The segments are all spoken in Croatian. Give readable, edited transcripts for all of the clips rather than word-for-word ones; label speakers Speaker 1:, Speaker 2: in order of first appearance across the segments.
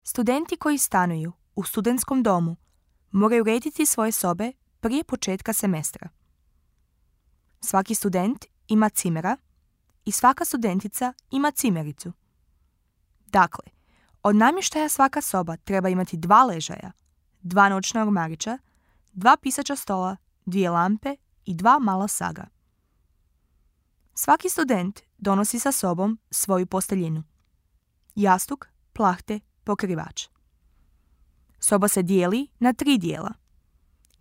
Speaker 1: Studenti koji stanuju u studentskom domu moraju urediti svoje sobe prije početka semestra. Svaki student ima cimera i svaka studentica ima cimericu. Dakle, od namještaja svaka soba treba imati 2 ležaja, 2 noćna ormarića, 2 pisaća stola, 2 lampe i 2 mala saga. Svaki student donosi sa sobom svoju posteljinu. Jastuk, plahte, pokrivač. Soba se dijeli na 3 dijela.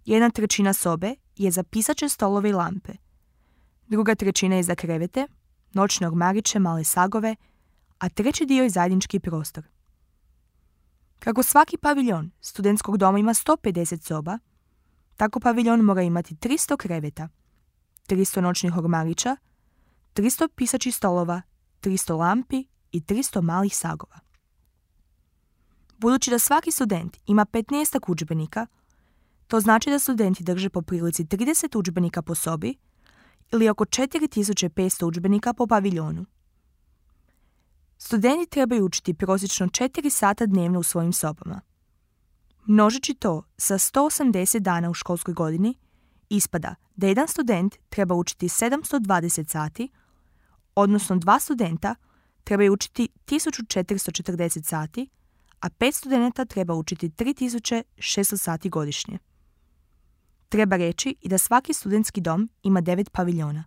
Speaker 1: 1/3 sobe je za pisaće stolove i lampe. 2/3 je za krevete, noćne ormariće, male sagove, a 3. dio je zajednički prostor. Kako svaki paviljon studentskog doma ima 150 soba, tako paviljon mora imati 300 kreveta, 300 noćnih ormarića, 300 pisaćih stolova, 300 lampi i 300 malih sagova. Budući da svaki student ima 15 udžbenika, to znači da studenti drže po prilici 30 udžbenika po sobi ili oko 4500 udžbenika po paviljonu. Studenti trebaju učiti prosječno 4 sata dnevno u svojim sobama. Množeći to sa 180 dana u školskoj godini, ispada da jedan student treba učiti 720 sati, odnosno 2 studenta trebaju učiti 1440 sati, a 5 studenta treba učiti 3600 sati godišnje. Treba reći i da svaki studentski dom ima 9 paviljona.